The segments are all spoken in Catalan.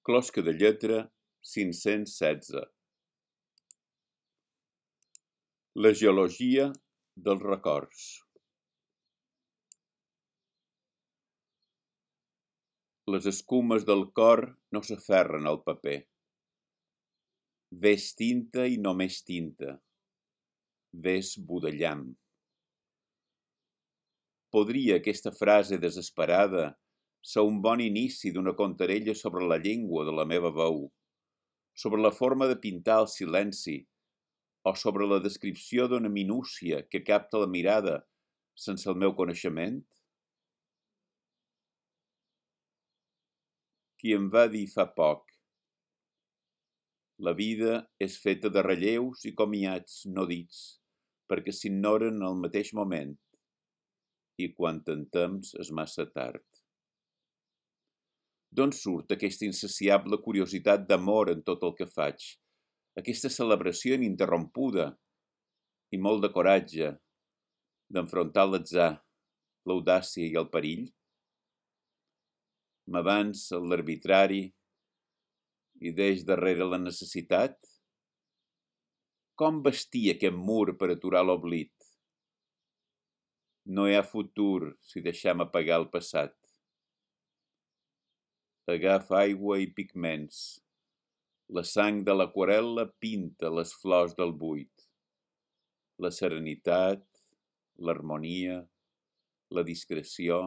Closca de lletra 516. La geologia dels records. Les escumes del cor no s'aferren al paper. Ves tinta i només tinta. Ves budellam. Podria aquesta frase desesperada ser un bon inici d'una contarella sobre la llengua de la meva veu, sobre la forma de pintar el silenci, o sobre la descripció d'una minúcia que capta la mirada sense el meu coneixement? Qui em va dir fa poc: la vida és feta de relleus i comiats no dits, perquè s'ignoren al mateix moment, i quan en temps és massa tard. D'on surt aquesta insaciable curiositat d'amor en tot el que faig, aquesta celebració ininterrompuda i molt de coratge d'enfrontar l'atzar, l'audàcia i el perill? M'avança l'arbitrari i deix darrere la necessitat? Com bastir aquest mur per aturar l'oblit? No hi ha futur si deixem apagar el passat. Agafa aigua i pigments. La sang de l'aquarel·la pinta les flors del buit. La serenitat, l'harmonia, la discreció,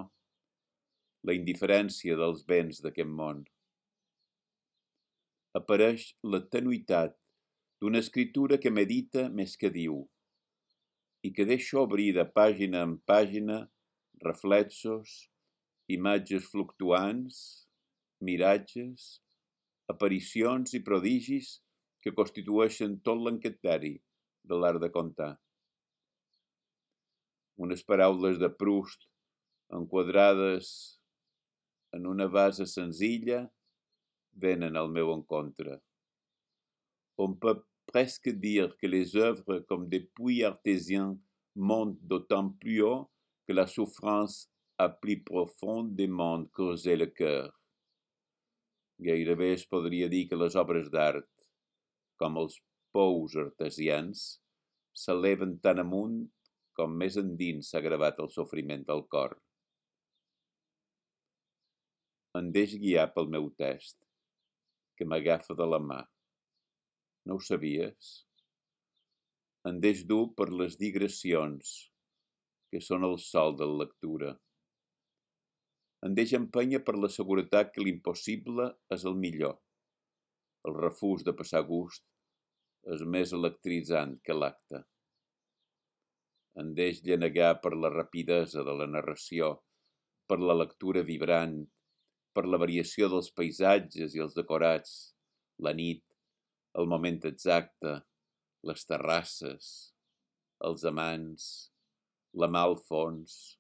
la indiferència dels béns d'aquest món. Apareix la tenuïtat d'una escritura que medita més que diu i que deixa obrir de pàgina en pàgina reflexos, imatges fluctuants, miratges, aparicions i prodigis que constitueixen tot l'encanteri de l'art de contar. Unes paraules de Proust enquadrades en una base senzilla venen al meu encontre. On peut presque dire que les œuvres comme des puits artésiens montent d'autant plus haut que la souffrance a plus profondément creusé le cœur. Gairebé es podria dir que les obres d'art, com els pous artesians, s'eleven tan amunt com més endins s'ha gravat el sofriment del cor. Em deix guiar pel meu test, que m'agafa de la mà. No ho sabies? Em deix dur per les digressions, que són el sol de la lectura. Em deix empènyer per la seguretat que l'impossible és el millor. El refús de passar gust és més electritzant que l'acte. Em deix llenegar per la rapidesa de la narració, per la lectura vibrant, per la variació dels paisatges i els decorats, la nit, el moment exacte, les terrasses, els amants, la mà al fons,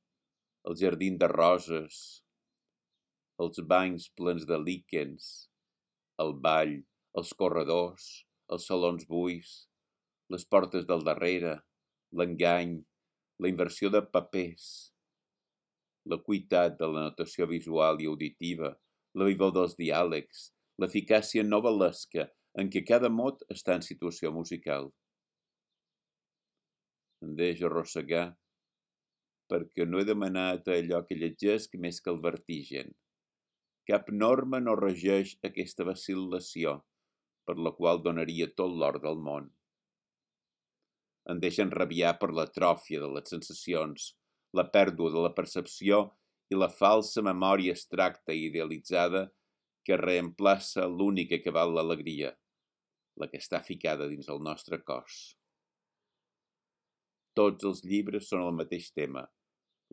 el jardí de roses, els banys plens de líquens, el ball, els corredors, els salons buits, les portes del darrere, l'engany, la inversió de papers, l'acuïtat de la notació visual i auditiva, la vivor dels diàlegs, l'eficàcia novel·lesca en què cada mot està en situació musical. Em deix arrossegar perquè no he demanat allò que llegesc més que el vertigen. Cap norma no regeix aquesta vacil·lació, per la qual donaria tot l'or del món. Em deixa enrabiar per l'atròfia de les sensacions, la pèrdua de la percepció i la falsa memòria abstracta i idealitzada que reemplaça l'única que val l'alegria, la que està ficada dins el nostre cos. Tots els llibres són el mateix tema,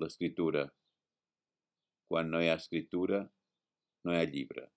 l'escriptura. Quan no hi ha escriptura, no hi ha llibre.